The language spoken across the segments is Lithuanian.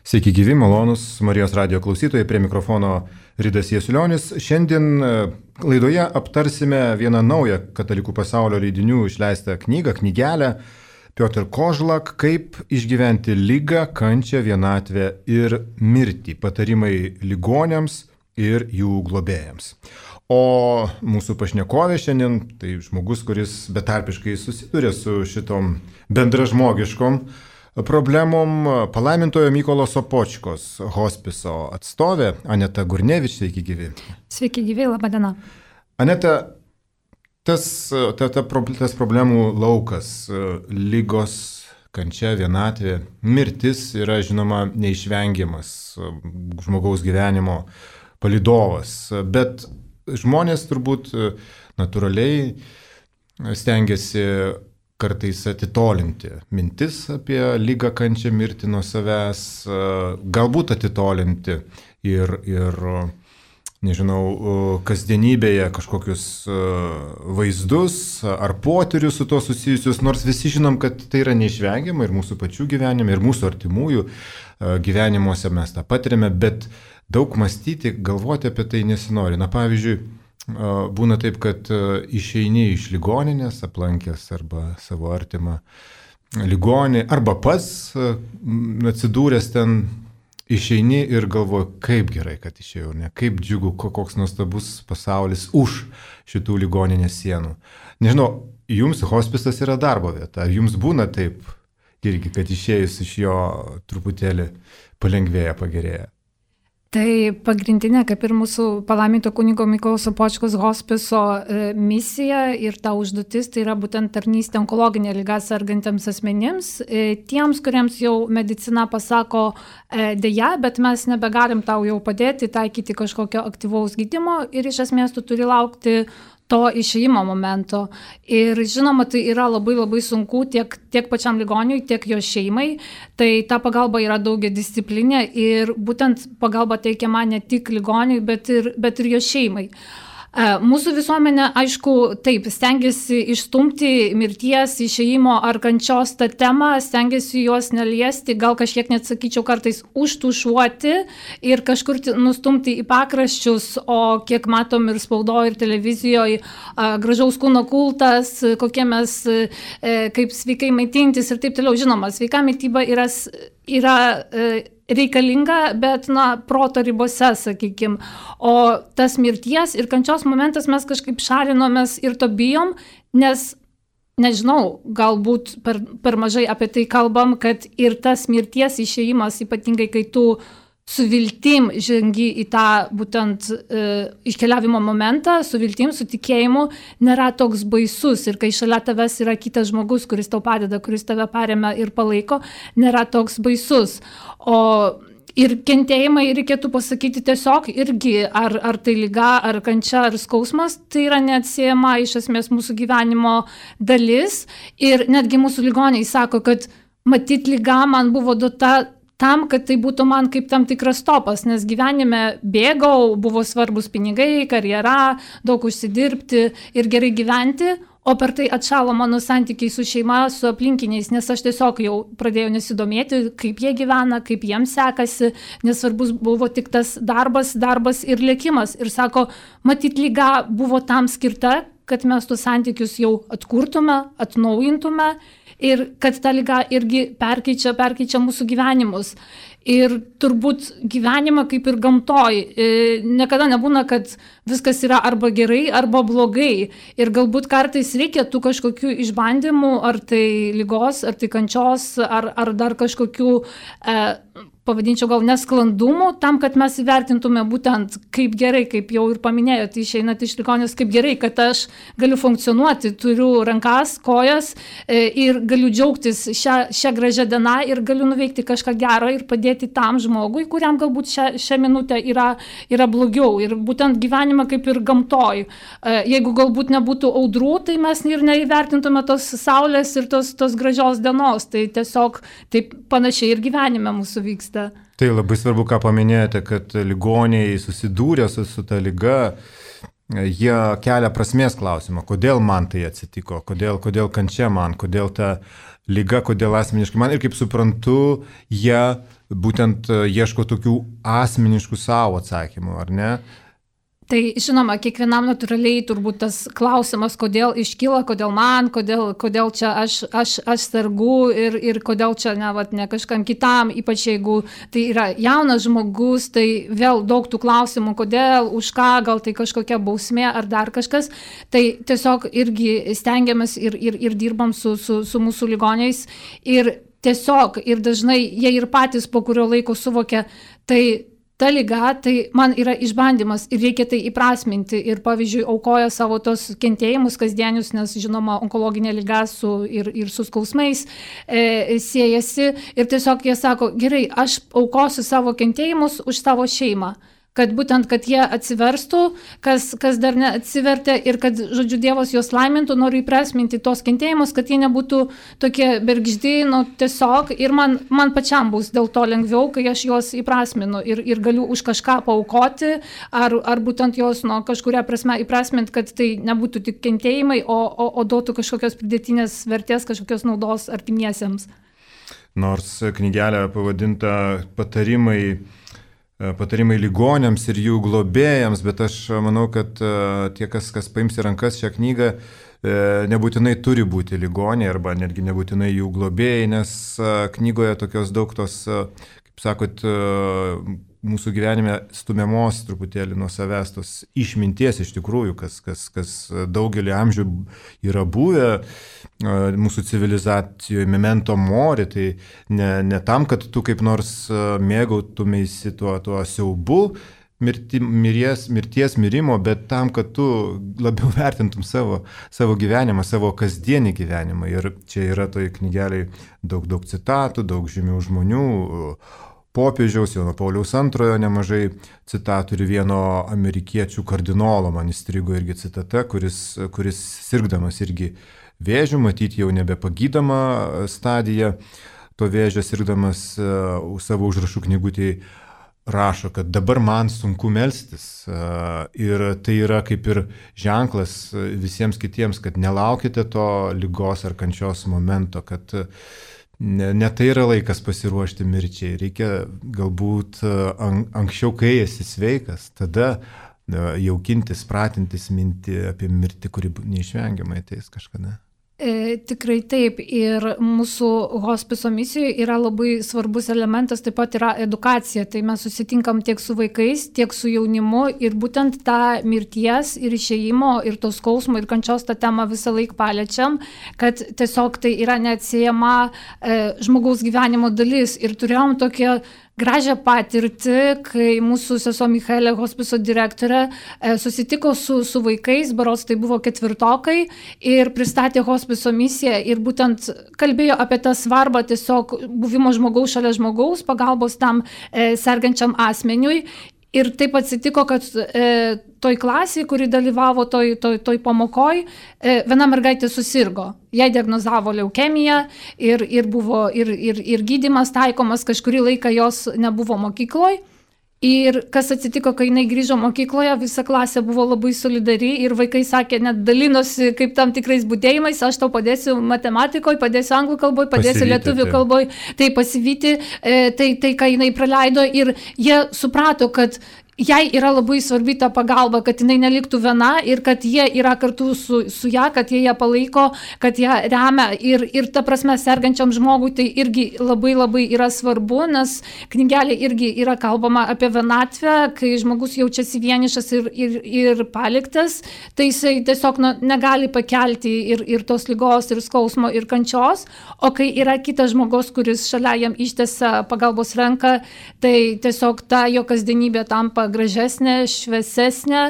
Sveiki gyvi, malonus Marijos radijo klausytojai, prie mikrofono Ridas Jasiulionis. Šiandien laidoje aptarsime vieną naują katalikų pasaulio leidinių išleistą knygelę Piotr Kozlak, kaip išgyventi ligą, kančią, vienatvę ir mirtį. Patarimai ligoniams ir jų globėjams. O mūsų pašnekovė šiandien tai žmogus, kuris betarpiškai susiduria su šitom bendražmogiškom problemom, palaimintojo Mykolo Sopočkos hospiso atstovė Aneta Gurnevič. Sveiki gyvi. Sveiki gyvi, laba diena. Aneta, tas problemų laukas, lygos, kančia, vienatvė, mirtis yra, žinoma, neišvengiamas žmogaus gyvenimo palydovas, bet žmonės turbūt natūraliai stengiasi kartais atitolinti mintis apie lygą, kančią, mirtį nuo savęs, galbūt atitolinti ir nežinau, kasdienybėje kažkokius vaizdus ar potyrius su to susijusius, nors visi žinom, kad tai yra neišvengiama ir mūsų pačių gyvenime, ir mūsų artimųjų gyvenimuose mes tą patiriame, bet daug mąstyti, galvoti apie tai nesinori. Na, pavyzdžiui, būna taip, kad išeini iš ligoninės, aplankęs arba savo artimą ligonį, arba pats atsidūręs ten, išeini ir galvoji, kaip gerai, kad išėjau, ne, kaip džiugu, koks nuostabus pasaulis už šitų ligoninės sienų. Nežinau, jums hospisas yra darbo vieta, ar jums būna taip irgi, kad išėjus iš jo truputėlį palengvėja, pagerėja? Tai pagrindinė, kaip ir mūsų palaiminto kunigo Mykolo Sopočkos hospiso misija ir ta užduotis, tai yra būtent tarnystė onkologinė liga sergantiems asmenims, tiems, kuriems jau medicina pasako deja, bet mes nebegalim tau jau padėti, taikyti kažkokio aktyvaus gydymo ir iš esmės tu turi laukti to išėjimo momento. Ir žinoma, tai yra labai labai sunku tiek pačiam ligoniui, tiek jo šeimai. Tai ta pagalba yra daugiadisciplinė ir būtent pagalba teikiama ne tik ligoniui, bet ir jo šeimai. Mūsų visuomenė, aišku, taip, stengiasi išstumti mirties, išėjimo ar kančios tą temą, stengiasi juos neliesti, gal kažkiek net sakyčiau kartais užtušuoti ir kažkur nustumti į pakraščius, o kiek matom ir spaudoje, ir televizijoje, gražaus kūno kultas, kokie mes, kaip sveikai maitintis ir taip toliau. Žinoma, sveika mityba yra reikalinga, bet, proto ribose, sakykime. O tas mirties ir kančios momentas mes kažkaip šalinomės ir to bijom, nes, nežinau, galbūt per mažai apie tai kalbam, kad ir tas mirties išėjimas, ypatingai kai tu su viltim žengi į tą būtent iškeliavimo momentą, su viltim, su tikėjimu, nėra toks baisus. Ir kai šalia tavęs yra kitas žmogus, kuris tau padeda, kuris tave paremia ir palaiko, nėra toks baisus. O ir kentėjimai, reikėtų pasakyti tiesiog irgi, ar tai liga, ar kančia, ar skausmas, tai yra neatsiejama iš esmės mūsų gyvenimo dalis. Ir netgi mūsų ligoniai sako, kad matyt liga man buvo duota tam, kad tai būtų man kaip tam tikras stopas, nes gyvenime bėgau, buvo svarbus pinigai, karjera, daug užsidirbti ir gerai gyventi, o per tai atšalo mano santykiai su šeima, su aplinkiniais, nes aš tiesiog jau pradėjau nesidomėti, kaip jie gyvena, kaip jiems sekasi, nes svarbus buvo tik tas darbas ir lėkimas. Ir sako, matyt, liga buvo tam skirta, kad mes tuos santykius jau atkurtume, atnaujintume ir kad ta liga irgi perkeičia mūsų gyvenimus. Ir turbūt gyvenimą kaip ir gamtoj, niekada nebūna, kad viskas yra arba gerai, arba blogai. Ir galbūt kartais reikia tų kažkokių išbandymų, ar tai ligos, ar tai kančios, ar dar kažkokių, pavadinčiau gal nesklandumų, tam, kad mes įvertintume būtent kaip gerai, kaip jau ir paminėjote, išeinat iš ligoninės, kaip gerai, kad aš galiu funkcionuoti, turiu rankas, kojas ir galiu džiaugtis šią gražią dieną ir galiu nuveikti kažką gero ir padėti tam žmogui, kuriam galbūt šią minutę yra blogiau. Ir būtent gyvenimą kaip ir gamtoj. Jeigu galbūt nebūtų audrų, tai mes ir neįvertintume tos saulės ir tos gražios dienos. Tai tiesiog taip panašiai ir gyvenime mūsų vyksta. Tai labai svarbu, ką paminėjote, kad ligoniai susidūrė su ta liga, jie kelia prasmės klausimą, kodėl man tai atsitiko, kodėl kančia man, kodėl ta lyga, kodėl asmeniškai man. Ir kaip suprantu, jie būtent ieško tokių asmeniškų savo atsakymų, ar ne? Tai žinoma, kiekvienam natūraliai turbūt tas klausimas, kodėl iškyla, kodėl man, kodėl čia aš sergu ir kodėl čia ne kažkam kitam, ypač jeigu tai yra jaunas žmogus, tai vėl daug tų klausimų, kodėl, už ką, gal tai kažkokia bausmė ar dar kažkas. Tai tiesiog irgi stengiamės ir dirbam su mūsų ligoniais ir tiesiog ir dažnai jie ir patys po kurio laiko suvokia, tai ta liga, tai man yra išbandymas ir reikia tai įprasminti ir pavyzdžiui aukoja savo tos kentėjimus kasdienius, nes žinoma onkologinė liga ir su skausmais siejasi ir tiesiog jie sako, gerai, aš aukosiu savo kentėjimus už savo šeimą. Kad būtent, kad jie atsiverstų, kas dar neatsivertė ir kad, žodžiu, Dievas juos laimintų, noriu įprasminti tos kentėjimus, kad jie nebūtų tokie bergždi, tiesiog ir man pačiam bus dėl to lengviau, kai aš juos įprasminu ir galiu už kažką paaukoti, ar būtent juos kažkuria prasme įprasminti, kad tai nebūtų tik kentėjimai, o duotų kažkokios pridėtinės vertės, kažkokios naudos artimiesiems. Nors knygelė pavadinta Patarimai ligoniams ir jų globėjams, bet aš manau, kad tie, kas paims į rankas šią knygą, nebūtinai turi būti ligoniai arba netgi nebūtinai jų globėjai, nes knygoje tokios daug tos, kaip sakot, mūsų gyvenime stumiamos truputėlį nuo savęs tos išminties iš tikrųjų, kas daugelį amžių yra buvę mūsų civilizacijoje, memento mori, tai ne tam, kad tu kaip nors mėgautumeisi tuo siaubu mirties mirimo, bet tam, kad tu labiau vertintum savo gyvenimą, savo kasdienį gyvenimą. Ir čia yra toj knygeliai daug citatų, daug žymių žmonių, popiežiaus, Jono Pauliaus II nemažai citatų ir vieno amerikiečių kardinolo, man įstrigo irgi citata, kuris sirgdamas irgi vėžių, matyti jau nebepagydama stadija, to vėžio sirgdamas savo užrašų knygutėje rašo, kad dabar man sunku melstis ir tai yra kaip ir ženklas visiems kitiems, kad nelaukite to ligos ar kančios momento, kad ne tai yra laikas pasiruošti mirčiai, reikia galbūt anksčiau, kai esi sveikas, tada jaukintis, pratintis mintį apie mirtį, kuri neišvengiamai ateis kažkada. Tikrai taip ir mūsų hospiso misijoje yra labai svarbus elementas, taip pat yra edukacija, tai mes susitinkam tiek su vaikais, tiek su jaunimu ir būtent tą mirties ir išėjimo ir to skausmo ir kančios tą temą visą laiką paliečiam, kad tiesiog tai yra neatsiejama žmogaus gyvenimo dalis ir turėjom tokią gražią patirtį, kai mūsų sesuo Michaelė, hospiso direktorė, susitiko su vaikais, berods tai buvo 4-okai ir pristatė hospiso misiją ir būtent kalbėjo apie tą svarbą tiesiog buvimo žmogaus šalia žmogaus, pagalbos tam sergančiam asmeniui. Ir taip atsitiko, kad toj klasėje, kuri dalyvavo toj pamokoj, viena mergaitė susirgo. Jai diagnozavo leukemiją ir buvo ir gydymas taikomas, kažkurį laiką jos nebuvo mokykloje. Ir kas atsitiko, kai jinai grįžo mokykloje, visa klasė buvo labai solidari ir vaikai sakė, net dalinosi kaip tam tikrais būdėjimais, aš tau padėsiu matematikoje, padėsiu anglų kalboje, padėsiu lietuvių kalboje, tai pasivyti, tai ką jinai praleido ir jie suprato, kad jai yra labai svarbi ta pagalba, kad jinai neliktų viena ir kad jie yra kartu su ją, kad jie ją palaiko, kad ją remia ir ta prasme sergančiam žmogui tai irgi labai yra svarbu, nes knygelė irgi yra kalbama apie vienatvę, kai žmogus jaučiasi vienišas ir paliktas, tai jisai tiesiog negali pakelti ir tos ligos, ir skausmo, ir kančios, o kai yra kitas žmogus, kuris šalia jam ištiesia pagalbos ranką, tai tiesiog ta jo kasdienybė tampa gražesnė, šviesesnė,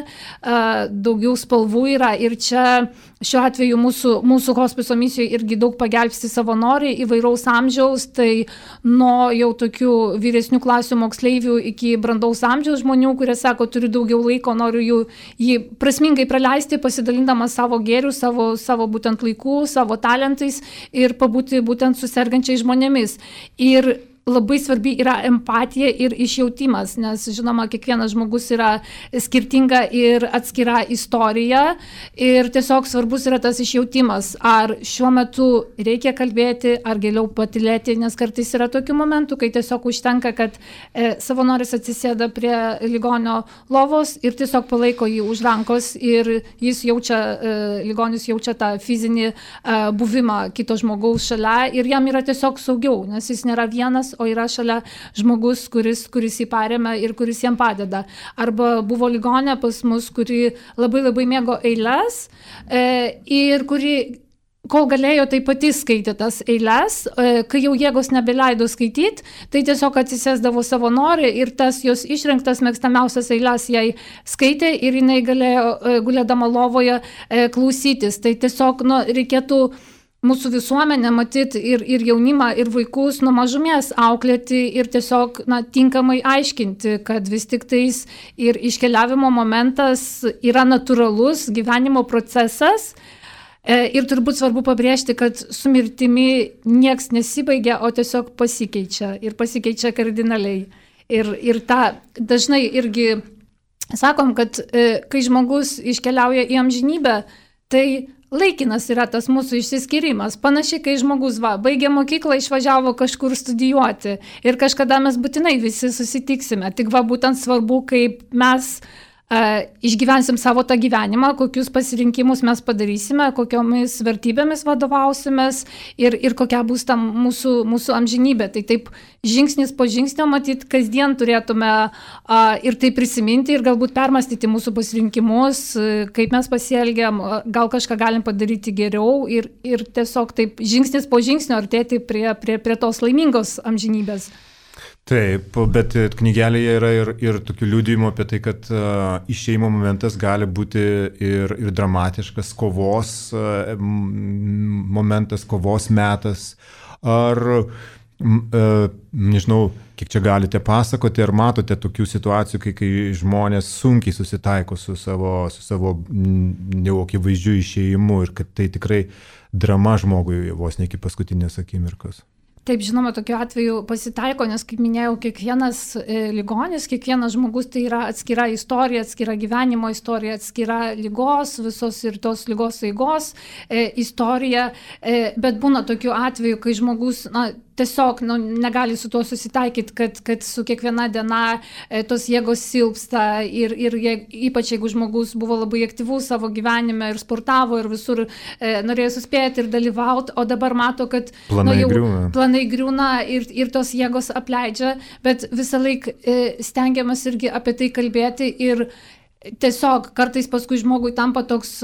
daugiau spalvų yra ir čia šiuo atveju mūsų hospiso misijoje irgi daug pagelbsti savanoriai įvairaus amžiaus, tai nuo jau tokių vyresnių klasių moksleivių iki brandaus amžiaus žmonių, kurie sako, turiu daugiau laiko, noriu jį prasmingai praleisti, pasidalindamas savo gėrių, savo būtent laikų, savo talentais ir pabūti būtent su sergančiais žmonėmis. Ir labai svarbi yra empatija ir išjautimas, nes žinoma, kiekvienas žmogus yra skirtinga ir atskira istorija ir tiesiog svarbus yra tas išjautimas, ar šiuo metu reikia kalbėti, ar geriau patylėti, nes kartais yra tokių momentų, kai tiesiog užtenka, kad savanoris atsisėda prie ligonio lovos ir tiesiog palaiko jį už rankos ir jis jaučia, ligonis jaučia tą fizinį buvimą kito žmogaus šalia ir jam yra tiesiog saugiau, nes jis nėra vienas, o yra šalia žmogus, kuris jį paremia ir kuris jam padeda. Arba buvo ligonė pas mus, kuri labai mėgo eiles ir kuri, kol galėjo, tai pati skaitė tas eiles, kai jau jėgos nebeleido skaityti, tai tiesiog atsisėsdavo savanoriai ir tas jos išrinktas mėgstamiausias eiles jai skaitė ir jinai galėjo gulėdama lovoje klausytis. Tai tiesiog reikėtų mūsų visuomenę matyti ir jaunimą, ir vaikus nuo mažumės auklėti ir tiesiog tinkamai aiškinti, kad vis tik tais ir iškeliavimo momentas yra natūralus gyvenimo procesas. Ir turbūt svarbu pabrėžti, kad su mirtimi nieks nesibaigia, o tiesiog pasikeičia ir pasikeičia kardinaliai. Ir tą dažnai irgi sakom, kad kai žmogus iškeliauja į amžinybę, tai laikinas yra tas mūsų išsiskyrimas. Panašiai, kai žmogus baigė mokyklą, išvažiavo kažkur studijuoti ir kažkada mes būtinai visi susitiksime. Tik būtent svarbu, kaip mes išgyvensim savo tą gyvenimą, kokius pasirinkimus mes padarysime, kokiomis vertybėmis vadovausimės ir kokia bus ta mūsų amžinybė. Tai taip žingsnis po žingsnio matyti, kasdien turėtume ir tai prisiminti ir galbūt permastyti mūsų pasirinkimus, kaip mes pasielgiam, gal kažką galim padaryti geriau ir tiesiog taip žingsnis po žingsnio artėti prie tos laimingos amžinybės. Taip, bet knygelėje yra ir tokių liudijimų apie tai, kad išėjimo momentas gali būti ir dramatiškas, kovos momentas, kovos metas. Ar, nežinau, kiek čia galite pasakoti, ar matote tokių situacijų, kai žmonės sunkiai susitaiko su savo neakivaizdžiu išėjimu ir kad tai tikrai drama žmogui vos ne iki paskutinės akimirkos? Taip, žinoma, tokiu atveju pasitaiko, nes, kaip minėjau, kiekvienas ligonis, kiekvienas žmogus tai yra atskira istorija, atskira gyvenimo istorija, atskira ligos, visos ir tos ligos eigos istorija, bet būna tokiu atveju, kai žmogus tiesiog negali su tuo susitaikyti, kad su kiekviena diena tos jėgos silpsta ir ypač jeigu žmogus buvo labai aktyvus savo gyvenime ir sportavo ir visur norėjo suspėti ir dalyvauti, o dabar mato, kad planai griūna ir tos jėgos apleidžia, bet visą laiką stengiamas irgi apie tai kalbėti ir tiesiog kartais paskui žmogui tampa toks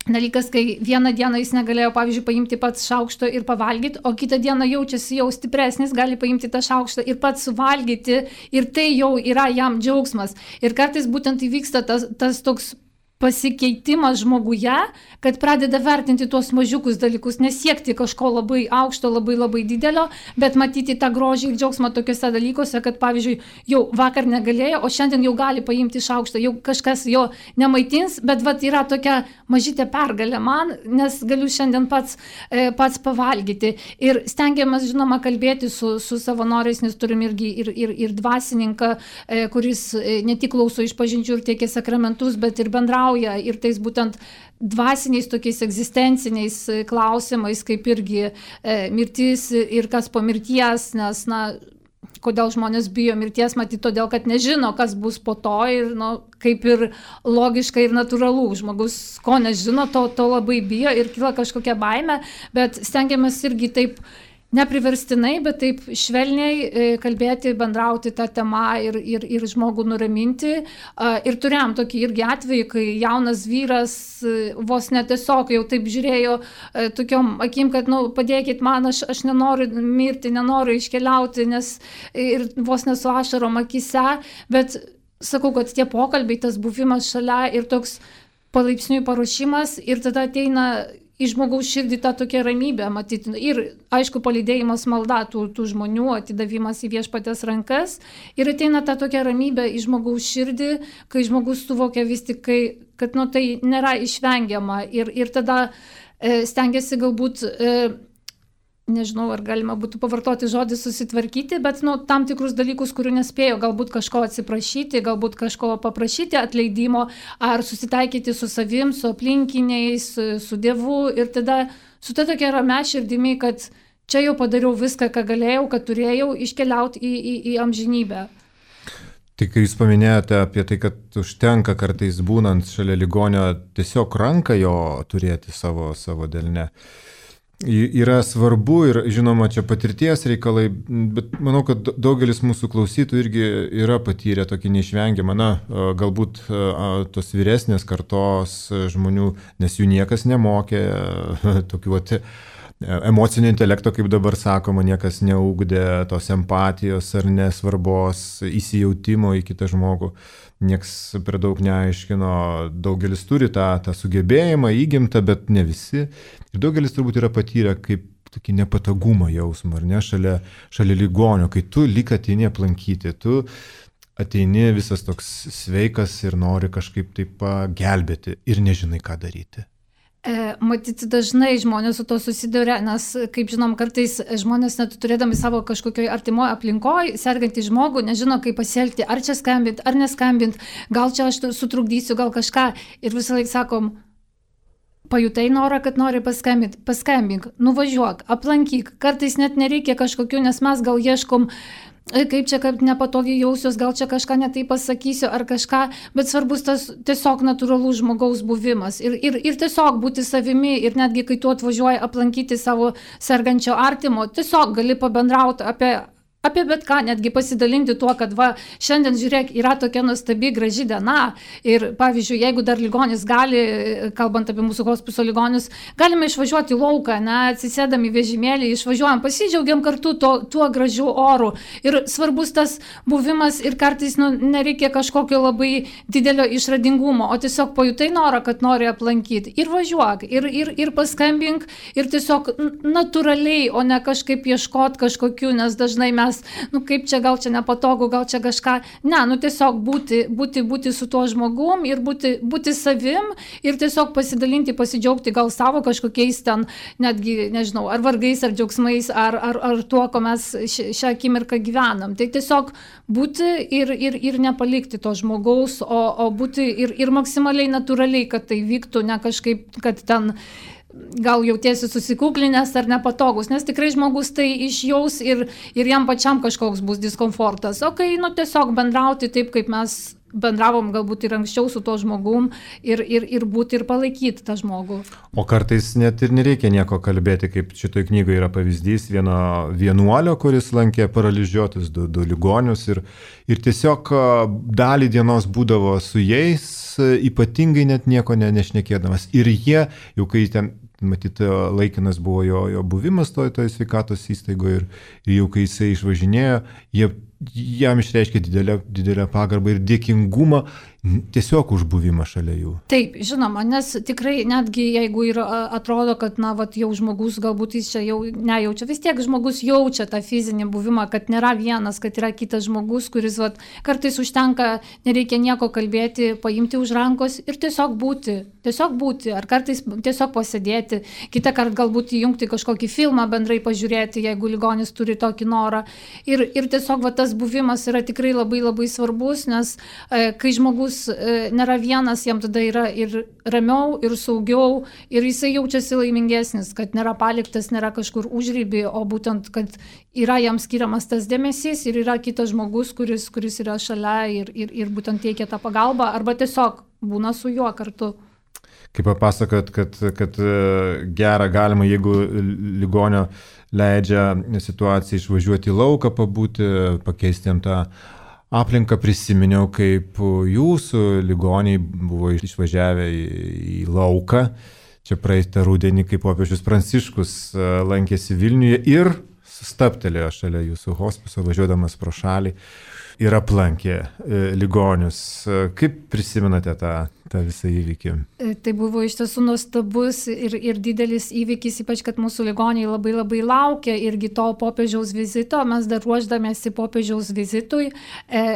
dalykas, kai vieną dieną jis negalėjo, pavyzdžiui, paimti pats šaukšto ir pavalgyti, o kitą dieną jaučiasi jau stipresnis, gali paimti tą šaukštą ir pats suvalgyti ir tai jau yra jam džiaugsmas. Ir kartais būtent įvyksta tas toks pasikeitimas žmoguje, kad pradeda vertinti tuos mažiukus dalykus, nesiekti kažko labai aukšto, labai didelio, bet matyti tą grožį ir džiaugsmą tokiuose dalykuose, kad pavyzdžiui, jau vakar negalėjo, o šiandien jau gali paimti šaukštą, jau kažkas jo nemaitins, bet yra tokia mažytė pergalė man, nes galiu šiandien pats pavalgyti. Ir stengiamės, žinoma, kalbėti su savanoriais, nes turim irgi ir dvasininką, kuris ne tik klauso išpažinčių ir teikia sakramentus, bet ir bendrauja ir tais būtent dvasiniais tokiais egzistenciniais klausimais, kaip irgi mirtis ir kas po mirties, nes, kodėl žmonės bijo mirties, matyt, todėl, kad nežino, kas bus po to ir, kaip ir logiška ir natūralu. Žmogus, ko nežino, to labai bijo ir kyla kažkokia baimė, bet stengiamės irgi taip nepriverstinai, bet taip švelniai kalbėti, bendrauti tą temą ir žmogų nuraminti. Ir turėjom tokį irgi atvejį, kai jaunas vyras vos netiesiog jau taip žiūrėjo tokiom akim, kad padėkit man, aš nenoriu mirti, nenoriu iškeliauti, nes ir vos nesu ašarom akise, bet sakau, kad tie pokalbiai, tas buvimas šalia ir toks palaipsniui paruošimas ir tada ateina į žmogaus širdį tą tokią ramybę matyti. Ir, aišku, palydėjimas malda tų žmonių, atidavimas į viešpatės rankas. Ir ateina tą tokią ramybę į žmogaus širdį, kai žmogus suvokia vis tik, kad tai nėra išvengiama. Ir tada stengiasi galbūt nežinau, ar galima būtų pavartoti žodį susitvarkyti, bet tam tikrus dalykus, kurių nespėjo, galbūt kažko atsiprašyti, galbūt kažko paprašyti atleidimo, ar susitaikyti su savim, su aplinkiniais, su Dievu ir tada su ta tokia ramia širdimi, kad čia jau padariau viską, ką galėjau, kad turėjau iškeliauti į amžinybę. Tai kai jūs paminėjote apie tai, kad užtenka kartais būnant šalia ligonio tiesiog ranką jo turėti savo delne. Yra svarbu ir, žinoma, čia patirties reikalai, bet manau, kad daugelis mūsų klausytojų irgi yra patyrę tokį neišvengiamą, galbūt tos vyresnės kartos žmonių, nes jų niekas nemokė, tokių emocinio intelekto, kaip dabar sakoma, niekas neugdė tos empatijos ar nesvarbos, įsijautimo į kitą žmogų. Niekas per daug neaiškino, daugelis turi tą sugebėjimą įgimtą, bet ne visi. Ir daugelis turbūt yra patyrę kaip tokį nepatogumą jausmą, ar ne, šalia ligonio, kai tu lyg ateini aplankyti, tu ateini visas toks sveikas ir nori kažkaip taip pagelbėti ir nežinai, ką daryti. Matyti dažnai žmonės su to susiduria, nes, kaip žinom, kartais žmonės net turėdami savo kažkokioj artimoje aplinkoje, sergantį žmogų, nežino, kaip pasielgti, ar čia skambint, ar neskambint, gal čia aš sutrukdysiu, gal kažką. Ir visą laiką sakom, pajutai norą, kad nori paskambink, nuvažiuok, aplankyk. Kartais net nereikia kažkokių, nes mes gal ieškom, kaip čia kaip nepatogiai jausiuos, gal čia kažką netai pasakysiu ar kažką, bet svarbus tas tiesiog natūralus žmogaus buvimas ir tiesiog būti savimi ir netgi kai tu atvažiuoji aplankyti savo sergančio artimo, tiesiog gali pabendrauti apie bet ką, netgi pasidalinti tuo, kad šiandien, žiūrėk, yra tokia nuostabi, graži diena ir, pavyzdžiui, jeigu dar ligonis gali, kalbant apie mūsų hospiso ligonius, galime išvažiuoti į lauką, atsisėdami į vežimėlį, išvažiuojam, pasidžiaugiam kartu tuo gražiu oru ir svarbus tas buvimas ir kartais nereikia kažkokio labai didelio išradingumo, o tiesiog pajutai norą, kad nori aplankyti ir važiuok, ir paskambink ir tiesiog natūraliai, o ne kažkaip ieškot kažkokių, nes dažnai mes kaip čia, gal čia nepatogu, gal čia kažką. Ne, tiesiog būti su tuo žmogum ir būti savim ir tiesiog pasidalinti, pasidžiaugti gal savo kažkokiais ten, netgi, nežinau, ar vargais, ar džiaugsmais, ar tuo, ko mes šią akimirką gyvenam. Tai tiesiog būti ir nepalikti to žmogaus, o būti ir maksimaliai natūraliai, kad tai vyktų, ne kažkaip, kad ten gal jautiesi susikuklinęs ar nepatogus, nes tikrai žmogus tai išjaus ir jam pačiam kažkoks bus diskomfortas. O kai tiesiog bendrauti taip, kaip mes bendravom galbūt ir anksčiau su to žmogum ir būti ir palaikyti tą žmogų. O kartais net ir nereikia nieko kalbėti, kaip šitoj knygoje yra pavyzdys vieno vienuolio, kuris lankė paralyžiuotus du ligonius ir tiesiog dalį dienos būdavo su jais, ypatingai net nieko nešnekėdamas. Ir jie, jau kai ten, matyt, laikinas buvo jo buvimas toj sveikatos įstaigoje ir jau kai jisai išvažinėjo, jam išreiškė didelę pagarbą ir dėkingumą tiesiog už buvimą šalia jų. Taip, žinoma, nes tikrai netgi jeigu ir atrodo, kad jau žmogus galbūt jis čia jau nejaučia, vis tiek žmogus jaučia tą fizinį buvimą, kad nėra vienas, kad yra kitas žmogus, kuris kartais užtenka, nereikia nieko kalbėti, paimti už rankos ir tiesiog būti, ar kartais tiesiog pasėdėti, kitą kartą galbūt įjungti kažkokį filmą bendrai pažiūrėti, jeigu ligonis turi tokį norą. Ir tiesiog tas buvimas yra tikrai labai labai svarbus, nes kai žmogus nėra vienas, jam tada yra ir ramiau, ir saugiau, ir jisai jaučiasi laimingesnis, kad nėra paliktas, nėra kažkur užrybį, o būtent, kad yra jam skiriamas tas dėmesys ir yra kitas žmogus, kuris yra šalia ir būtent teikia tą pagalbą, arba tiesiog būna su juo kartu. Kaip papasakot, kad gera galima, jeigu ligonio leidžia situaciją išvažiuoti į lauką, pabūti, pakeisti jam tą aplinką, prisiminiau, kaip jūsų ligoniai buvo išvažiavę į lauką. Čia praeitą rudenį, kaip popiežius Pranciškus lankėsi Vilniuje ir stabtelėjo šalia jūsų hospiso, važiuodamas pro šalį ir aplankė ligonius. Kaip prisimenate tą visą įvykį? Tai buvo iš tiesų nuostabus ir didelis įvykis, ypač kad mūsų ligoniai labai labai laukia irgi to popiežiaus vizito. Mes dar ruoždamėsi popiežiaus vizitui.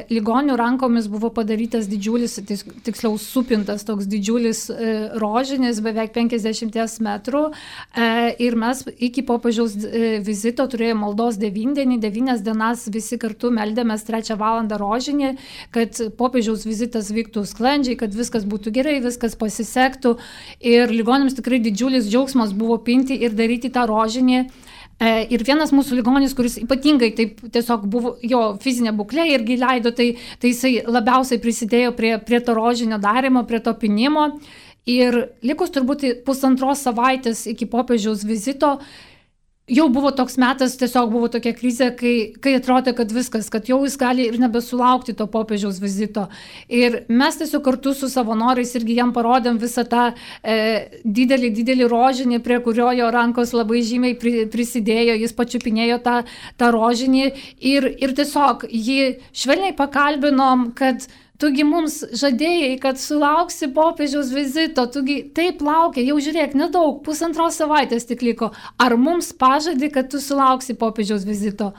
Ligonių rankomis buvo padarytas didžiulis, tiksliau supintas toks didžiulis rožinis, beveik 50 metrų. Ir mes iki popiežiaus vizito turėjome maldos 9 dienas visi kartu meldėmės 3 valandą rožinį, kad popiežiaus vizitas vyktų sklandžiai, kad viskas būtų gerai, viskas pasisektų. Ir ligoniams tikrai didžiulis džiaugsmas buvo pinti ir daryti tą rožinį. Ir vienas mūsų ligonis, kuris ypatingai taip tiesiog buvo, jo fizinė būklė irgi leido, tai jisai labiausiai prisidėjo prie to rožinio darimo, prie to pinimo. Ir likus turbūt 1,5 savaitės iki popiežiaus vizito, jau buvo toks metas, tiesiog buvo tokia krizė, kai atrodė, kad viskas, kad jau jis gali ir nebesulaukti to popiežiaus vizito. Ir mes tiesiog kartu su savanoriais irgi jam parodėm visą tą didelį rožinį, prie kurio jo rankos labai žymiai prisidėjo, jis pačiupinėjo tą rožinį ir tiesiog jį švelniai pakalbinom, kad tugi mums žadėjai, kad sulauksi popiežiaus vizito, tugi taip laukia, jau žiūrėk, nedaug, 1,5 savaitės tik liko. Ar mums pažadi, kad tu sulauksi popiežiaus vizito?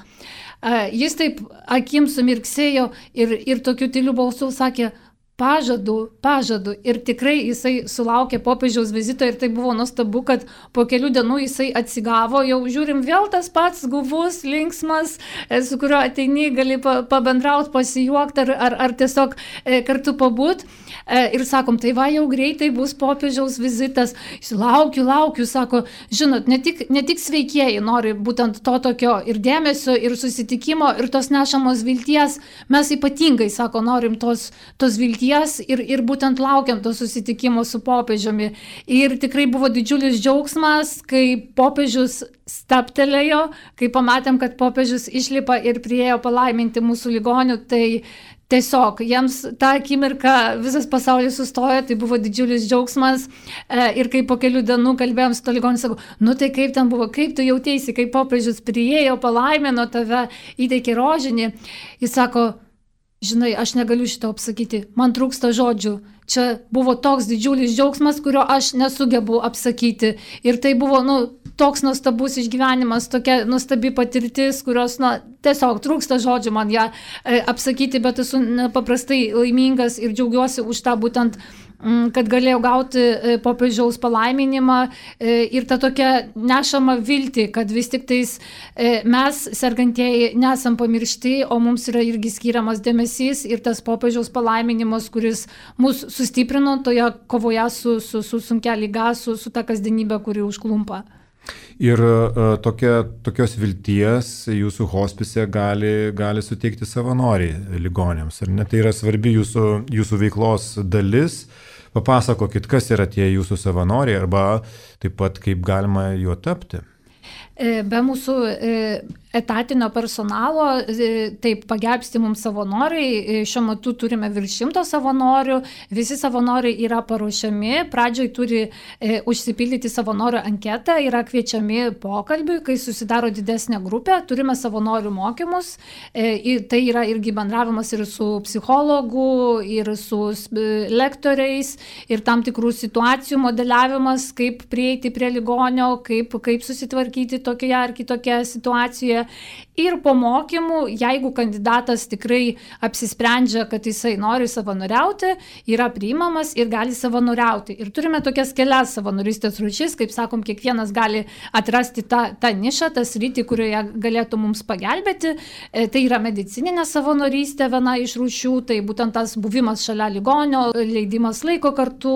Jis taip akim sumirksėjo ir tokiu tyliu balsu sakė, pažadu. Ir tikrai jisai sulaukė popiežiaus vizito ir tai buvo nuostabu, kad po kelių dienų jisai atsigavo, jau žiūrim vėl tas pats guvus, linksmas, su kuriuo ateini, gali pabendrauti, pasijuokti ar tiesiog kartu pabūt. Ir sakom, tai va, jau greitai bus popiežiaus vizitas. Jis laukiu, sako, žinot, ne tik sveikieji nori būtent to tokio ir dėmesio, ir susitikimo, ir tos nešamos vilties. Mes ypatingai, sako, norim tos vilties ir būtent laukiam to susitikimo su popiežiumi. Ir tikrai buvo didžiulis džiaugsmas, kai popiežius staptelėjo, kai pamatėm, kad popiežius išlipa ir priėjo palaiminti mūsų ligonių, tai tiesiog jiems tą akimirką visas pasaulis sustojo, tai buvo didžiulis džiaugsmas. Ir kai po kelių dienų kalbėjom su to ligoniu, sakau, nu tai kaip ten buvo, kaip tu jautėsi, kai popiežius priėjo, palaimino tave, įteikė rožinį. Jis sako, žinai, aš negaliu šito apsakyti, man trūksta žodžių. Čia buvo toks didžiulis džiaugsmas, kurio aš nesugebu apsakyti. Ir tai buvo, toks nuostabus išgyvenimas, tokia nuostabi patirtis, kurios, tiesiog trūksta žodžių man ją apsakyti, bet esu nepaprastai laimingas ir džiaugiuosi už tą būtent, kad galėjau gauti popiežiaus palaiminimą ir tą tokią nešamą viltį, kad vis tik tais mes, sergantieji, nesam pamiršti, o mums yra irgi skiriamas dėmesys ir tas popiežiaus palaiminimas, kuris mus sustiprino toje kovoje su sunkia liga, su ta kasdienybė, kuri užklumpa. Ir tokios vilties jūsų hospise gali suteikti savanoriai ligoniams. Ar ne? Tai yra svarbi jūsų veiklos dalis. Papasakokit, kas yra tie jūsų savanoriai arba taip pat kaip galima juo tapti. Be mūsų etatinio personalo, taip pagelbsti mums savanoriai, šiuo metu turime virš 100 savanorių, visi savanoriai yra paruošiami, pradžioj turi užsipildyti savanorių anketą, yra kviečiami pokalbiui, kai susidaro didesnė grupė, turime savanorių mokymus, tai yra irgi bendravimas ir su psichologu, ir su lektoriais, ir tam tikrų situacijų modeliavimas, kaip prieiti prie ligonio, kaip susitvarkyti tokioje ar kitokioje situacijoje. Ir po mokymų, jeigu kandidatas tikrai apsisprendžia, kad jisai nori savanoriauti, yra priimamas ir gali savanoriauti. Ir turime tokias kelias savanorystės rūšis, kaip sakom, kiekvienas gali atrasti tą nišą, tą sritį, kurioje galėtų mums pagelbėti. Tai yra medicininė savanorystė, viena iš rūšių, tai būtent tas buvimas šalia ligonio, leidimas laiko kartu,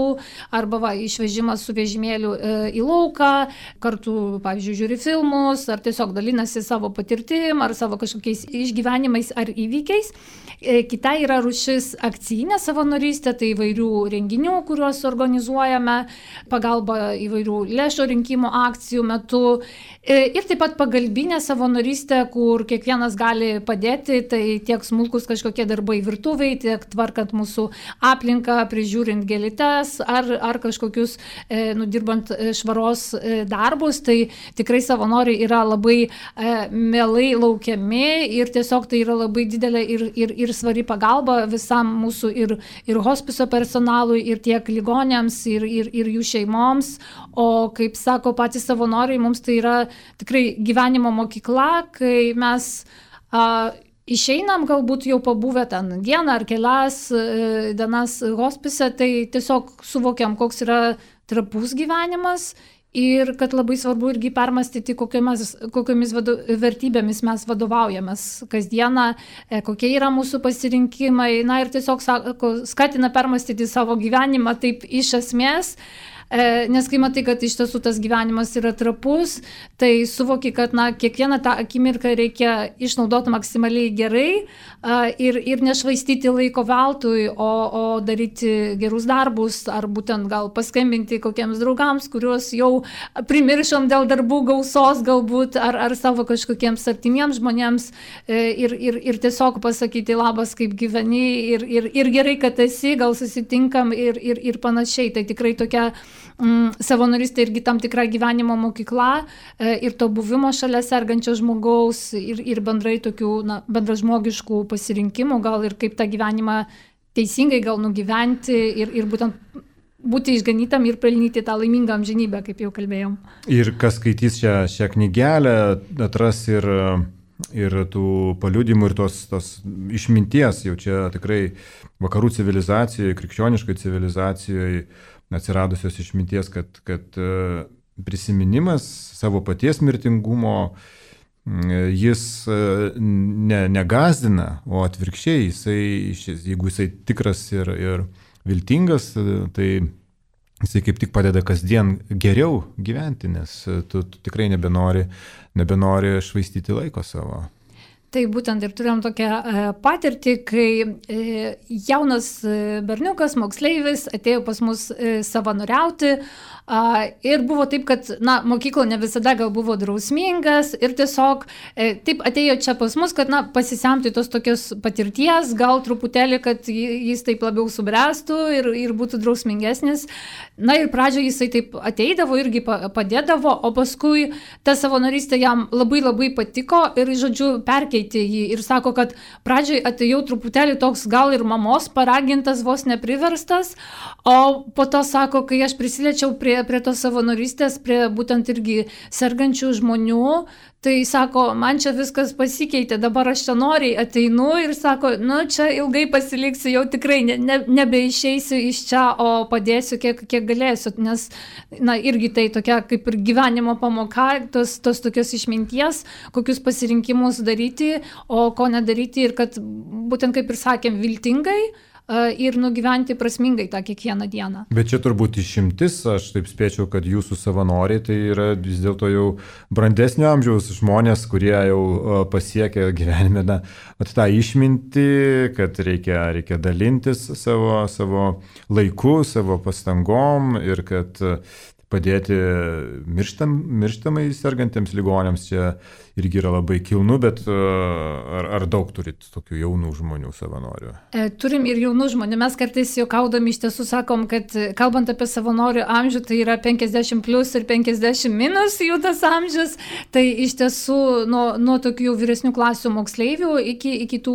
arba išvežimas su vežimėliu į lauką, kartu, pavyzdžiui, žiūri filmus, ar tiesiog dalinasi savo patirtim, ar savo kažkokiais išgyvenimais ar įvykiais. Kita yra rūšis akcijinė savanorystė, tai įvairių renginių, kuriuos organizuojame, pagalba įvairių lėšų rinkimo akcijų metu. Ir taip pat pagalbinė savanorystė, kur kiekvienas gali padėti, tai tiek smulkus kažkokie darbai virtuviai, tiek tvarkant mūsų aplinką, prižiūrint gėlytes, ar kažkokius nudirbant švaros darbus. Tai tikrai savanoriai yra labai mielai laukiami ir tiesiog tai yra labai didelė ir svari pagalba visam mūsų ir hospiso personalui, ir tiek ligonėms, ir jų šeimoms. O kaip sako patys savanoriai, mums tai yra tikrai gyvenimo mokykla, kai mes išeinam galbūt jau pabuvę ten dieną ar kelias dienas hospise, tai tiesiog suvokiam, koks yra trapus gyvenimas ir kad labai svarbu irgi permastyti, kokiamis vertybėmis mes vadovaujamės kasdieną, kokie yra mūsų pasirinkimai, na ir tiesiog skatina permastyti savo gyvenimą taip iš esmės. Nes kai matai, kad iš tiesų tas gyvenimas yra trapus, tai suvoki, kad kiekvieną tą akimirką reikia išnaudoti maksimaliai gerai ir nešvaistyti laiko veltui, o daryti gerus darbus, ar būtent gal paskambinti kokiems draugams, kuriuos jau primiršom dėl darbų gausos galbūt, ar savo kažkokiems artimiems žmonėms ir tiesiog pasakyti labas, kaip gyveni ir gerai, kad esi, gal susitinkam ir panašiai. Tai tikrai tokia savanorystė irgi tam tikra gyvenimo mokykla ir to buvimo šalia sergančio žmogaus ir bendrai tokių bendražmogiškų pasirinkimų, gal ir kaip tą gyvenimą teisingai gal nugyventi ir būtent būti išganytam ir pelnyti tą laimingą amžinybę, kaip jau kalbėjom. Ir kas skaitys šią knygelę, atras ir tų paliudimų ir tos išminties, jau čia tikrai vakarų civilizacijoje, krikščioniškai civilizacijoje atsiradusios išminties, kad prisiminimas savo paties mirtingumo, jis negazdina, o atvirkščiai, jeigu jisai tikras ir viltingas, tai jisai kaip tik padeda kasdien geriau gyventi, nes tu tikrai nebenori švaistyti laiko savo. Tai būtent ir turėjom tokią patirtį, kai jaunas berniukas, moksleivis atėjo pas mus savanoriauti ir buvo taip, kad mokykla ne visada gal buvo drausmingas ir tiesiog taip atėjo čia pas mus, kad pasisemti tos tokios patirties, gal truputėlį, kad jis taip labiau subręstų ir būtų drausmingesnis. Na ir pradžioje jisai taip ateidavo, irgi padėdavo, o paskui ta savanorystė jam labai labai patiko ir, žodžiu, perkeitė jį ir sako, kad pradžioje atėjau truputėlį toks gal ir mamos paragintas, vos nepriverstas, o po to sako, kai aš prisiliečiau prie tos savanorystės, prie būtent irgi sergančių žmonių, tai sako, man čia viskas pasikeitė, dabar aš čia noriai ateinu ir sako, čia ilgai pasiliksiu, jau tikrai nebeišeisiu iš čia, o padėsiu kiek galėsiu, nes irgi tai tokia kaip ir gyvenimo pamoka, tos tokios išminties, kokius pasirinkimus daryti, o ko nedaryti ir kad būtent kaip ir sakėm, viltingai ir nugyventi prasmingai tą kiekvieną dieną. Bet čia turbūt išimtis, aš taip spėčiau, kad jūsų savanoriai tai yra vis dėlto jau brandesnio amžiaus žmonės, kurie jau pasiekia gyvenime tą išmintį, kad reikia dalintis savo laiku, savo pastangom ir kad padėti mirštamai sergantiems ligoniams čia irgi yra labai kilnu, bet ar daug turit tokių jaunų žmonių savanorių? Turim ir jaunų žmonių. Mes kartais juokaudami iš tiesų sakom, kad kalbant apie savanorių amžių, tai yra 50 plus ir 50 minus jų tas amžius. Tai iš tiesų nuo tokių vyresnių klasių moksleivių iki tų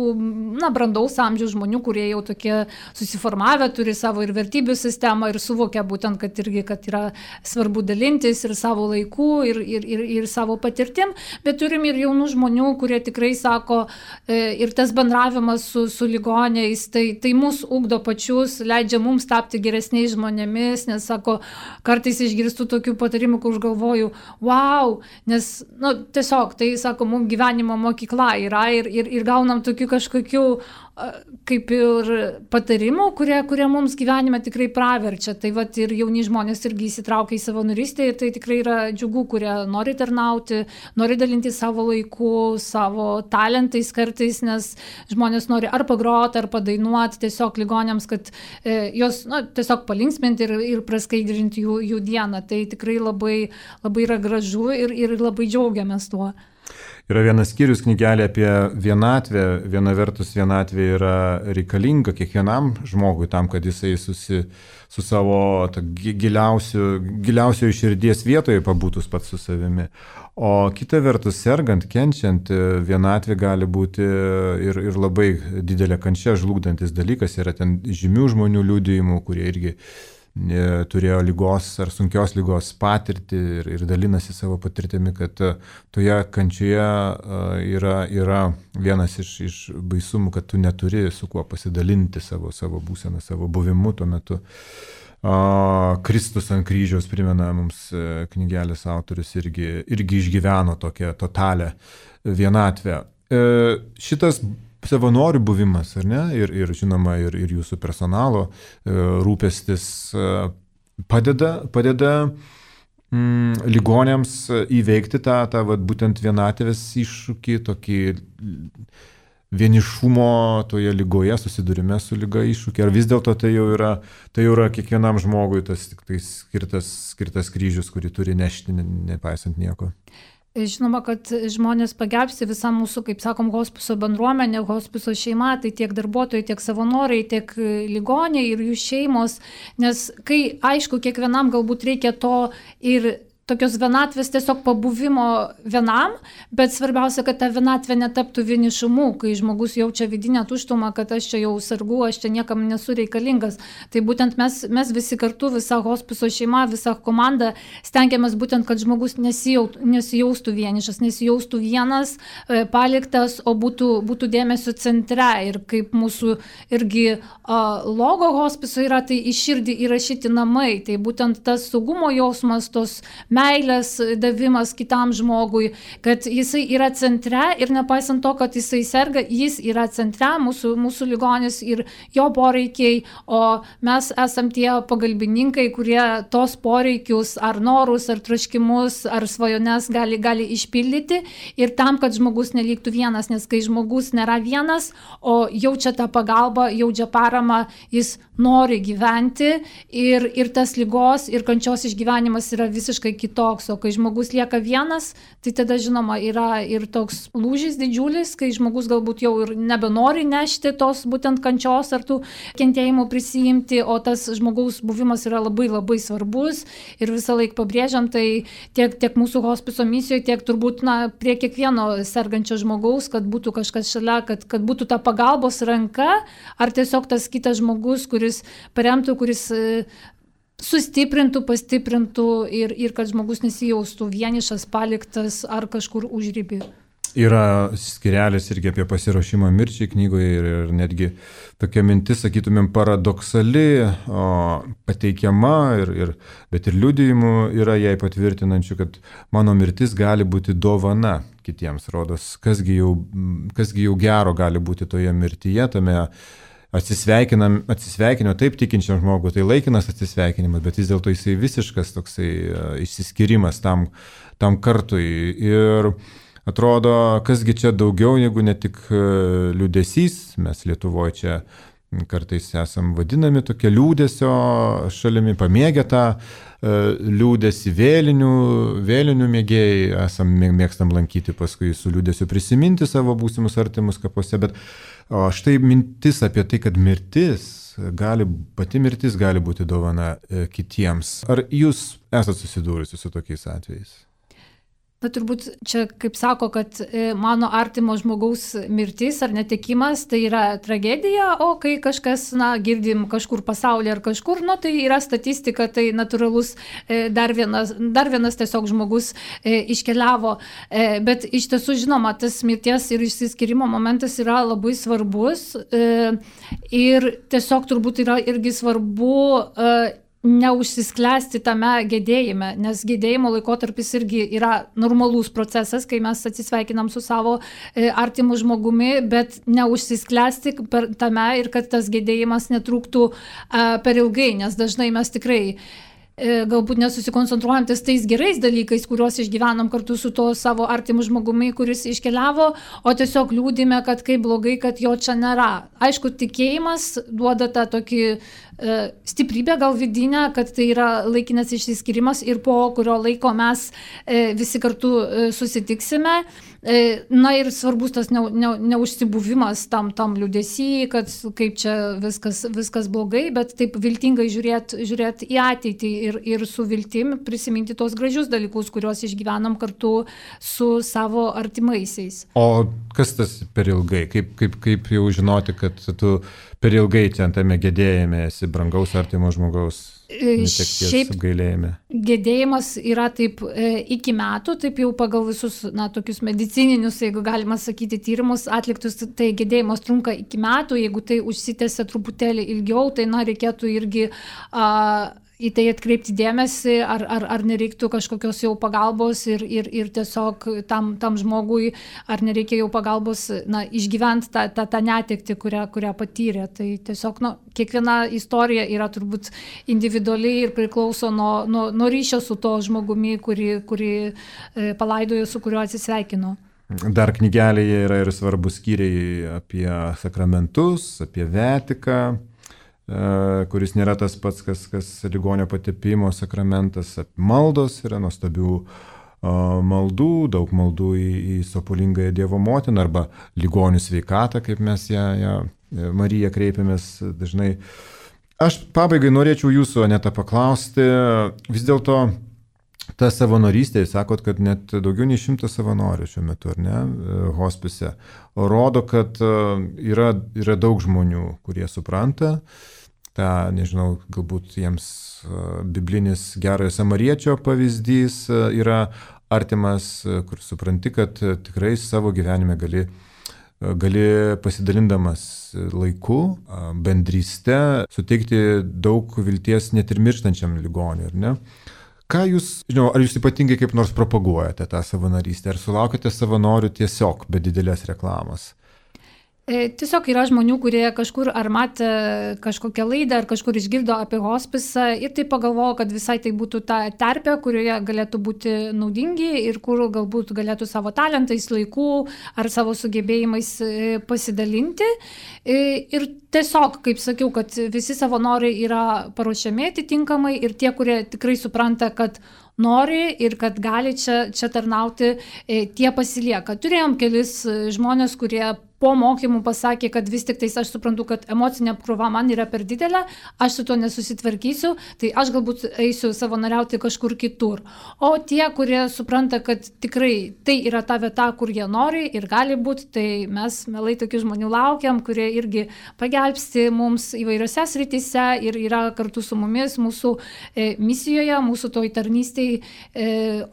brandaus amžiaus žmonių, kurie jau tokie susiformavę, turi savo ir vertybių sistemą ir suvokia būtent, kad yra svarbu dalintis ir savo laiku, ir savo patirtim, bet turim ir jaunų žmonių, kurie tikrai sako, ir tas bendravimas su ligoniais, tai mus ugdo pačius, leidžia mums tapti geresniais žmonėmis, nes sako, kartais išgirstu tokių patarimų, kur aš galvoju, wow, nes tiesiog tai, sako, mums gyvenimo mokykla yra ir gaunam tokių kažkokių kaip ir patarimų, kurie mums gyvenime tikrai praverčia. Tai vat ir jauni žmonės irgi įsitraukia į savanorystę ir tai tikrai yra džiugu, kurie nori tarnauti, nori dalinti savo laiku, savo talentais kartais, nes žmonės nori ar pagroti, ar padainuoti tiesiog ligoniams, kad jos tiesiog palinksminti ir praskaidrinti jų dieną. Tai tikrai labai, labai yra gražu ir labai džiaugiamės tuo. Yra vienas skyrius knygelė apie vienatvę. Viena vertus vienatvė yra reikalinga kiekvienam žmogui tam, kad jisai su savo giliausio širdies vietoje pabūtų pats su savimi. O kita vertus, sergant, kenčiant, vienatvė gali būti ir labai didelė kančia žlugdantis dalykas. Yra ten žymių žmonių liudijimų, kurie irgi turėjo lygos ar sunkios lygos patirtį ir dalinasi savo patirtimi, kad toje kančioje yra vienas iš baisumų, kad tu neturi su kuo pasidalinti savo būseną, savo buvimu tuo metu. Kristus ant kryžiaus, primena mums knygelės autorius, irgi išgyveno tokią totalią vienatvę. Šitas savanorių buvimas, ar ne, ir žinoma, ir jūsų personalo rūpestis padeda ligoniams įveikti tą būtent vienatvės iššūkį, tokį vienišumo toje ligoje, susidūrime su liga iššūkį, ar vis dėlto tai jau yra kiekvienam žmogui tas tik tai skirtas kryžius, kurį turi nešti, nepaisant nieko. Žinoma, kad žmonės pagelbsti visam mūsų, kaip sakom, hospiso bendruomenė, hospiso šeima, tai tiek darbuotojai, tiek savanoriai, tiek ligoniai ir jų šeimos, nes kai, aišku, kiekvienam galbūt reikia to ir tokios vienatvės tiesiog pabuvimo vienam, bet svarbiausia, kad ta vienatvė netaptų vienišumu, kai žmogus jaučia vidinę tuštumą, kad aš čia jau sargu, aš čia niekam nesu reikalingas. Tai būtent mes visi kartu, visa hospiso šeima, visa komanda stengiamės būtent, kad žmogus nesijaustų vienišas, nesijaustų vienas, paliktas, o būtų dėmesio centre. Ir kaip mūsų irgi logo hospiso yra, tai į širdį įrašyti namai. Tai būtent tas saugumo jausmas, tos meilės davimas kitam žmogui, kad jisai yra centre ir nepaisant to, kad jisai serga, jis yra centre, mūsų ligonis ir jo poreikiai, o mes esam tie pagalbininkai, kurie tos poreikius ar norus, ar troškimus, ar svajones gali išpildyti ir tam, kad žmogus neliktų vienas, nes kai žmogus nėra vienas, o jaučia tą pagalbą, jaučia paramą, jis nori gyventi ir tas ligos ir kančios išgyvenimas yra visiškai kitoks, o kai žmogus lieka vienas, tai tada žinoma yra ir toks lūžis didžiulis, kai žmogus galbūt jau ir nebenori nešti tos būtent kančios ar tų kentėjimų prisijimti, o tas žmogaus buvimas yra labai labai svarbus ir visą laiką pabrėžiam, tai tiek mūsų hospiso misijoje, tiek turbūt prie kiekvieno sergančio žmogaus, kad būtų kažkas šalia, kad būtų ta pagalbos ranka, ar tiesiog tas kitas žmogus, kuris paremtų, kuris sustiprintų, pastiprintų ir kad žmogus nesijaustų vienišas, paliktas ar kažkur užribį. Yra skirelis irgi apie pasiruošimą mirčiai knygoje ir netgi tokia mintis, sakytumėm, paradoksali, pateikiama, bet ir liudijimų yra jai patvirtinančių, kad mano mirtis gali būti dovana kitiems. Rodos, kasgi jau gero gali būti toje mirtyje, tame atsisveikinimo taip tikinčiam žmogui, tai laikinas atsisveikinimas, bet vis dėlto jisai visiškas toksai išsiskyrimas tam kartui. Ir atrodo, kasgi čia daugiau negu ne tik liūdesys, mes Lietuvoje čia kartais esam vadinami tokia liūdesio šalimi, pamėgę tą liūdesį, vėlinių mėgėjai, mėgstam lankyti paskui su liūdesiu prisiminti savo būsimus artimus kapuose, bet štai mintis apie tai, kad pati mirtis gali būti dovana kitiems. Ar jūs esate susidūrusi su tokiais atvejais? Bet turbūt čia, kaip sako, kad mano artimo žmogaus mirtis ar netekimas tai yra tragedija, o kai kažkas, girdim kažkur pasaulyje ar kažkur, tai yra statistika, tai natūralus dar vienas tiesiog žmogus iškeliavo. Bet iš tiesų, žinoma, tas mirties ir išsiskyrimo momentas yra labai svarbus ir tiesiog turbūt yra irgi svarbu neužsisklęsti tame gedėjime, nes gedėjimo laikotarpis irgi yra normalus procesas, kai mes atsisveikinam su savo artimu žmogumi, bet neužsisklęsti tame ir kad tas gedėjimas netruktų per ilgai, nes dažnai mes tikrai galbūt nesusikoncentruojam tais gerais dalykais, kuriuos išgyvenom kartu su to savo artimu žmogumi, kuris iškeliavo, o tiesiog liūdime, kad kaip blogai, kad jo čia nėra. Aišku, tikėjimas duoda tą tokį stiprybę gal vidinę, kad tai yra laikinas išsiskyrimas ir po kurio laiko mes visi kartu susitiksime, Na ir svarbus tas neužsibuvimas tam liūdesy, kad kaip čia viskas blogai, bet taip viltingai žiūrėti į ateitį ir su viltim prisiminti tos gražius dalykus, kuriuos išgyvenam kartu su savo artimaisiais. O kas tas per ilgai? Kaip jau žinoti, kad tu per ilgai tame gedėjime esi brangaus artimo žmogaus? Šiaip gedėjimas yra taip iki metų, taip jau pagal visus tokius medicininius, jeigu galima sakyti, tyrimus atliktus, tai gedėjimas trunka iki metų, jeigu tai užsitęsia truputėlį ilgiau, tai reikėtų irgi į tai atkreipti dėmesį, ar nereiktų kažkokios jau pagalbos ir tiesiog tam žmogui, ar nereikia jau pagalbos išgyventi tą netektį, kurią patyrė. Tai tiesiog kiekviena istorija yra turbūt individualiai ir priklauso nuo ryšio su to žmogumi, kurį palaidojo, su kuriuo atsisveikino. Dar knygelėje yra ir svarbus skyriai apie sakramentus, apie vetiką, kuris nėra tas pats, kas ligonio patepimo sakramentas. Maldos yra nuostabių maldų, daug maldų į sopulingąją Dievo motiną arba ligonių sveikatą, kaip mes ją Mariją kreipiamės dažnai. Aš pabaigai norėčiau jūsų, Aneta, paklausti, vis dėlto ta savanorystė, sakot, kad net daugiau nei 100 savanorių šiuo metu, ar ne, hospise, rodo, kad yra daug žmonių, kurie supranta tą, nežinau, galbūt jiems biblinis gerojo samariečio pavyzdys yra artimas, kur supranti, kad tikrai savo gyvenime gali pasidalindamas laiku, bendryste, suteikti daug vilties net ir mirštančiam ligoniui, ar ne? Ką jūs, ar jūs ypatingai kaip nors propaguojate tą savanorystę, ar sulaukite savanorių tiesiog be didelės reklamos? Tiesiog yra žmonių, kurie kažkur ar matė kažkokią laidą, ar kažkur išgirdo apie hospisą ir tai pagalvojo, kad visai tai būtų ta terpė, kurioje galėtų būti naudingi ir kur galbūt galėtų savo talentais, laiku ar savo sugebėjimais pasidalinti. Ir tiesiog, kaip sakiau, kad visi savanoriai yra paruošiami atitinkamai ir tie, kurie tikrai supranta, kad nori ir kad gali čia tarnauti, tie pasilieka. Turėjom kelis žmonės, kurie po mokymų pasakė, kad vis tik tais aš suprantu, kad emocinė apkrova man yra per didelė, aš su to nesusitvarkysiu, tai aš galbūt eisiu savanoriauti kažkur kitur. O tie, kurie supranta, kad tikrai tai yra ta vieta, kur jie nori ir gali būti, tai mes mielai tokių žmonių laukiam, kurie irgi pagelbsti mums įvairiose srityse ir yra kartu su mumis mūsų misijoje, mūsų toj tarnystėj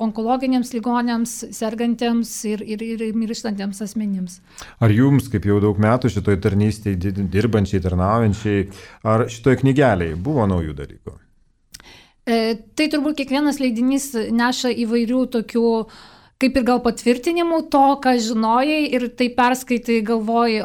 onkologiniams ligoniams, sergantiems ir mirštantiems asmenims. Ar jums, kaip jau daug metų šitoj tarnystėj dirbančiai, tarnaujančiai, ar šitoj knygelėje buvo naujų dalykų? Tai turbūt kiekvienas leidinys neša įvairių tokių kaip ir gal patvirtinimų to, ką žinojai ir tai perskaitai galvoji,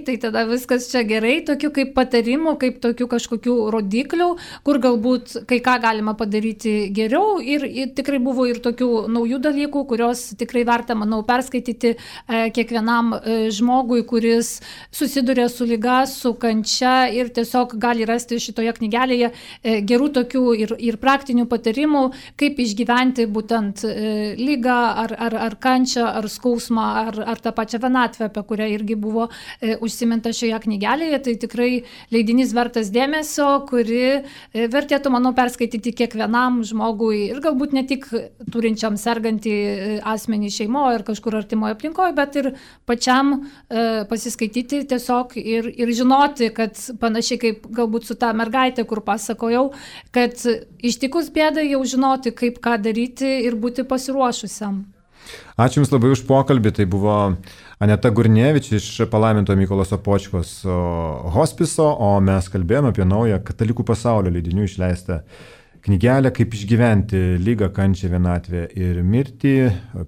tai tada viskas čia gerai, tokių kaip patarimų, kaip tokių kažkokių rodiklių, kur galbūt kai ką galima padaryti geriau ir tikrai buvo ir tokių naujų dalykų, kurios tikrai verta, manau, perskaityti kiekvienam žmogui, kuris susiduria su liga, su kančia ir tiesiog gali rasti šitoje knygelėje gerų tokių ir praktinių patarimų, kaip išgyventi būtent ligą, ar kančią, ar skausmą, ar tą pačią vienatvę, apie kurią irgi buvo užsiminta šioje knygelėje. Tai tikrai leidinys vertas dėmesio, kuri vertėtų, manau, perskaityti kiekvienam žmogui ir galbūt ne tik turinčiam sergantį asmenį šeimoje ar kažkur artimoje aplinkoje, bet ir pačiam pasiskaityti tiesiog ir žinoti, kad panašiai kaip galbūt su ta mergaitė, kur pasakojau, kad ištikus bėdai jau žinoti, kaip ką daryti ir būti pasiruošusiam. Ačiū Jums labai už pokalbį. Tai buvo Aneta Gurnevič iš palaiminto Mykolo Sopočkos hospiso, o mes kalbėjome apie naują Katalikų pasaulio leidinių išleistą knygelę Kaip išgyventi ligą, kančią, vienatvę ir mirtį.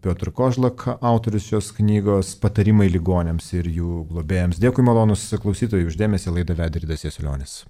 Piotr Kožlak, autorius šios knygos, patarimai ligoniams ir jų globėjams. Dėkui malonus klausytojai už dėmesį, laidą vedė Ridas Jasiulionis.